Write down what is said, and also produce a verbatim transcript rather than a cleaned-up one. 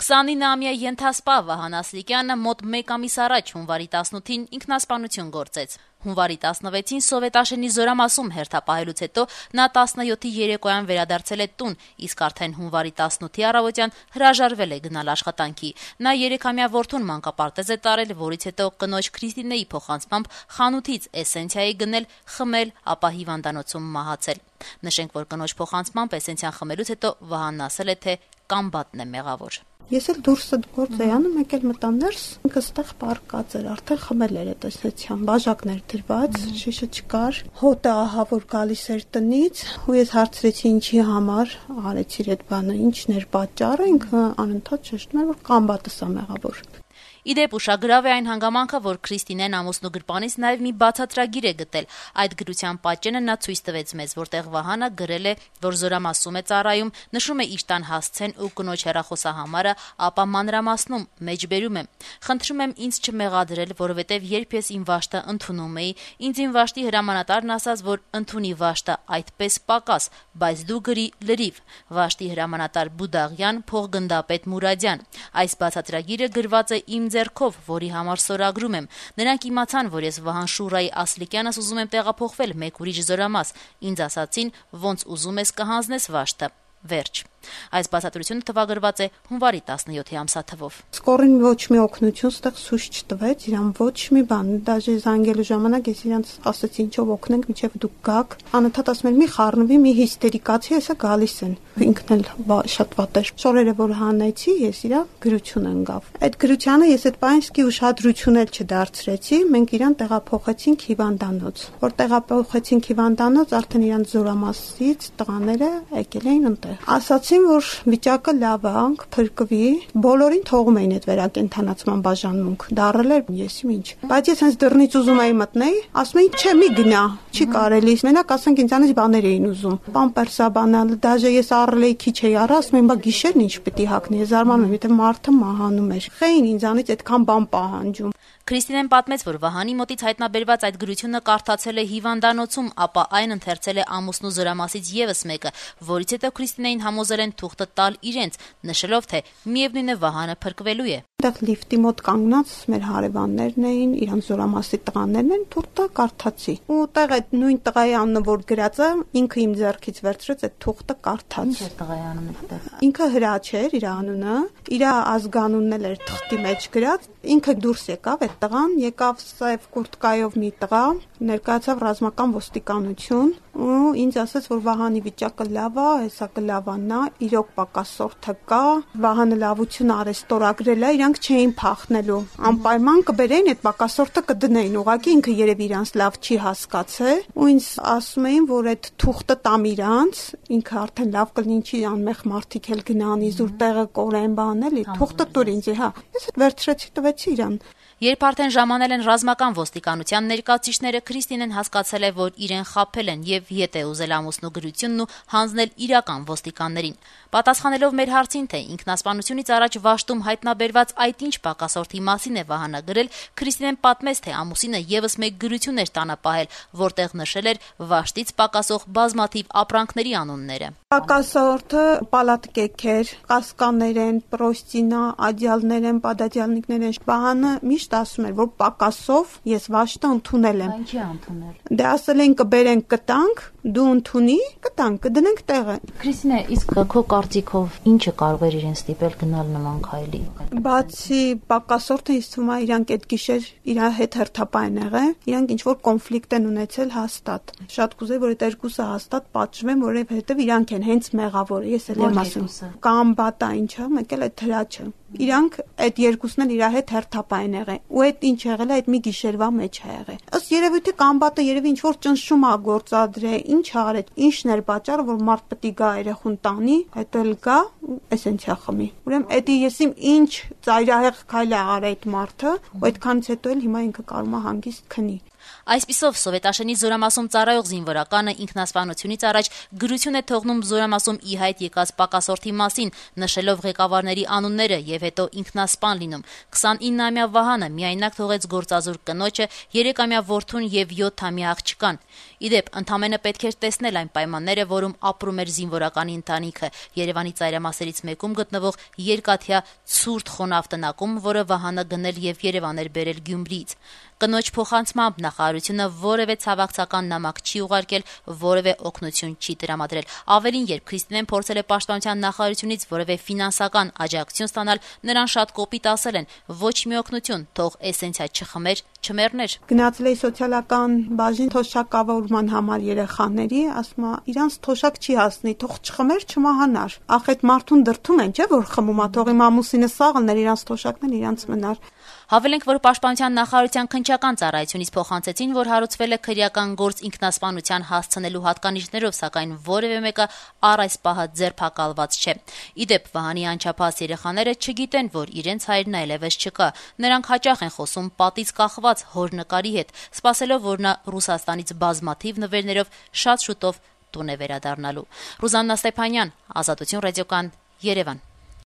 քսանինամյա ենթասպա Վահան Ասլիկյանը մոտ մեկ ամիս առաջ հունվարի տասնութին ինքնասպանություն գործեց։ Հունվարի տասնվեցին Սովետաշենի Զորամասում հերթապահելուց հետո նա տասնյոթի երեկոյան վերադարձել է տուն, իսկ արդեն հունվարի տասնութի առավոտյան հրաժարվել է գնալ աշխատանքի։ Նա երեքամյա որդուն մանկապարտեզ է տարել, որից հետո կնոջ Քրիստինեի փոխանցմամբ խանութից էսենցիա է գնել, խմել, ապա հիվանդանոցում մահացել։ Նշենք, որ կնոջ փոխանցմամբ էսենցիան խմելուց հետո Վահանն ասել է, թե կամբատն է մեղավոր։ Ես էլ դուրսը գործ էի անում, մեկ էլ մտա ներս, ինքը ստեղ պարկած էր, արդեն խմել էր այդ էսենցիան, բաժակներ դրված, շիշը չկար, հոտը ահա որ գալիս էր տնից, ու ես հարցրեցի ինչի համար արեցիր այդ բանը, ինչն էր պատճառը, ինքը անընդհատ շեշտում էր, որ կամբատս է մեղավոր։ Իդեպ ուշագրավ է այն հանգամանքը, որ Քրիստինեն ամուսնու գրպանից նաև մի բացատրագիր է գտել։ Այդ գրության պատճենը նա ցույց տվեց մեզ, որտեղ Վահանը գրել է, որ Զորամասում է ծառայում, նշում է իր տան հասցեն ու կնոջ հեռախոսահամարը, ապա մանրամասնում մեջբերում է. «Խնդրում եմ ինձ չմեղադրել, որովհետև երբ ես իմ վաշտը ընդունում էի, ինձ իմ վաշտի հրամանատարն ասաց, որ ընդունի վաշտը այդպես պակաս, բայց դու գրի լրիվ. Վաշտի հրամանատար Բուդաղյան, փոխգնդապետ Մուրադյան։ Այս բացատրագիրը գրված է իմ ձեռքով, որի համար սորագրում եմ։ Նրանք իմացան, որ ես Վահան Շուրայի Ասլիկյանս ուզում եմ տեղափոխվել մեկ ուրիշ Զորամաս։ Ինձ ասացին, ոնց ուզում ես կհանձնես վաշտը։ Վերջ»։ Այս բացատրությունը տվագրված է հունվարի տասնյոթի ամսաթվով։ Սկորին ոչ մի օգնություն ստեղ ցույց չտվեց, իրան ոչ մի բան, դաժե զանգելու ժամանակ ես իրանց ասացի ինչով օգնենք, մինչև դուք գաք։ Անընդհատ ասում են մի խառնվի, մի հիստերիկացի, հեսա գալիս են։ Ինքն էլ շատ վատ էր։ Շորերը որ հանեցի, ես իրա գրություն ընկավ։ Այդ գրությանը ես այդ պայիսկի ուշադրություն էլ չդարձրեցի, մենք իրան տեղափոխեցինք հիվանդանոց։ Որ տեղափոխեցինք հիվանդանոց, արդեն իրան Զորամասից տղաները եկել էին ընտեղ։ Ասացին, որ վիճակը լավ է, փրկվի, բոլորին թողում էին այդ վերակենդանացման բաժանմունք, դառել էր եսիմ ինչ։ Բայց ես հենց դռնից ուզում էի մտնել, ասում էին, չէ, մի գնա, չի կարելի, մենակ ասենք ինձանից բաներ էին ուզում։ Պամպերսա բանալ, դաժե ես առել էի քիչ էի առա, ասում էին, բա գիշերն ինչ պիտի հագնի, ես զարմանում եմ, եթե մարդը մահանում էր։ Խեին ինձանից այդքան բան պահանջում։ Քրիստինեն պատմեց, որ Վահանի մոտից հայտնաբերված այդ գրությունը կարդացել է հիվանդանոցում, ապա այն ընթերցել է ամուսնու Զորամասից եւս մեկը, որից հետո Քրիստինեին համոզել են թուղթը տալ իրենց, նշելով, թե միևնույն է Վահանը փրկվելու է։ Այդտեղ լիֆտի մոտ կանգնած մեր հարևաններն էին, իրանց Զորամասի տղաներն են, թուղթը կարդացի։ Ու տեղ այդ նույն տղայի անունը որ գրած է, ինքը իմ ձեռքից վերցրեց այդ թուղթը կարդաց։ Ինչ է տղայի անունը այդտեղ։ Ինքը Հրաչ էր իր անունը, իր ազգանունն էլ էր թղթի մեջ գրած, ինքը դուրս եկավ այդ տղան, եկավ սև կուրտկայով մի տղա, ներկայացավ ռազմական ոստիկանություն ու ինձ ասաց, որ Վահանի վիճակը լավ է, հեսա կլավանա, իրոք պակասորթը կա, Վահանը լավություն արեց, ստորագրել է, իրանք չէին փախնելու, անպայման կբերեին այդ պակասորթը կդնեին, ուղղակի ինքը երևի իրանց լավ չի հասկացել ու ինձ ասում էին, որ այդ թուղթը տամ իրանց, ինքը արդեն լավ կլինի, ինչի անմեղ մարդիկ էլ գնան, իզուր տեղը կորեն բան էլի, թուղթը տուր ինձ, հա։ Ես վերցրեցի տվեցի իրան։ Երբ արդեն ժամանել են ռազմական ոստիկանության ներկայացուցիչները, Քրիստինեն հասկացել է, որ իրեն խաբել են եւ ետ է ուզել ամուսնու գրությունն ու հանձնել իրական ոստիկաններին։ Պատասխանելով մեր հարցին, թե ինքնասպանությունից առաջ վաշտում հայտնաբերված այդ ինչ պակասորթի մասին է Վահանը գրել, Քրիստինեն պատմեց, թե ամուսինը եւս մեկ գրություն էր տանը պահել, որտեղ նշել էր վաշտից պակասող բազմաթիվ ապրանքների անունները։ Պակասորթը պալատկեք էր, կասկաներ են, պրոստինա, ադյալներ են, պադադյալնիկներ են։ Վահանը միշտ ասում էր, որ պակասով ես վաշտը ընդունել եմ։ Ինչի ընդունել։ Դե ասել են կբերենք կտանք, դու ընդունի, կտանք, կդնենք տեղը։ Քրիստինե, իսկ քո կարծիքով ինչը կարող էր իրեն ստիպել գնալ նման քայլի։ Բացի պակասորթը ինձ թվում է իրանք այդ գիշեր իր հետ հերթապայն եղել, իրանք ինչ որ կոնֆլիկտ են ունեցել հաստատ։ Շատ կուզեի, որ այդ երկուսը հաստատ պատժվեն, որովհետև իրանք են հենց մեղավորը, ես էլ եմ ասում։ Կամ բատա ինչա, մեկ էլ այդ Հրաչը։ Իրանք այդ երկուսն էլ իր հետ հերթապայն եղել։ Ու այդ ինչ եղել է, այդ մի գիշերվա մեջ է եղել։ Ըստ երևույթի կամբատը երևի ինչ որ ճնշում է գործադրել, ինչ արել, ինչն էր պատճառը, որ մարդ պետք է գա երախուն տանի, հետո էլ գա էսենցիա խմի։ Ուրեմն էդի ես իմ ինչ ծայրահեղ քայլ է արել այդ մարդը, ու այդքանից հետո էլ հիմա ինքը կարող է հանգիստ քնի։ Այսպիսով, Սովետաշենի Զորամասում ծառայող զինվորականը ինքնասպանությունից առաջ գրություն է թողնում Զորամասում ի հայտ եկած պակասորդի մասին, նշելով ղեկավարների անունները եւ հետո ինքնասպան լինում։ քսանիննամյա Վահանը միայնակ թողեց գործազուրկ կնոջը, երեքամյա որդուն եւ յոթամյա աղջկան։ Իդեպ, ընդամենը պետք էր տեսնել այն պայմանները, որում ապրում էր զինվորականի ընտանիքը՝ Երևանի ծայրամասերից մեկում գտնվող երկաթյա ցուրտ խոնավ տնակում, որը Վահանը գնել եւ Երևան էր բերել Գյումրիից։ Կնոջ փոխանցմամբ նախարարությունը որևէ ցավակցական նամակ չի ուղարկել, որևէ օգնություն չի տրամադրել։ Ավելին, երբ Քրիստինեն փորձել է պաշտպանության նախարարությունից որևէ ֆինանսական աջակցություն ստանալ, նրան շատ կոպիտ ասել են՝ ոչ մի օգնություն, թող էսենցիա չխմեր, չմեռներ։ Գնացել էի սոցիալական բաժին թոշակավորման համար երեխաների, ասում է, իրանց թոշակ չի հասնի, թող չխմեր, չմահանար։ Ախ, այդ մարդուն դրթում են, չէ՞ որ խմում է, թող իմ ամուսինը սաղլներ, իրանց թոշակն էլ իրանց մնար։ Հավելենք, որ պաշտպանության նախարարության քննչական ծառայությունից փոխանցեցին, որ հարուցվել է քրեական գործ ինքնասպանության հասցնելու հատկանիշներով, սակայն որևէ մեկը առ այս պահը ձերբակալված չէ։ Իդեպ, Վահանի անչափահաս երեխաները չգիտեն, որ իրենց հայրն այլևս չկա։ Նրանք հաճախ են խոսում պատից կախված հոր նկարի հետ, սպասելով, որ նա Ռուսաստանից բազմաթիվ նվերներով շատ շուտով տուն է վերադառնալու։ Ռուզաննա Ստեփանյան, Ազատություն ռադիոկան, Երևան։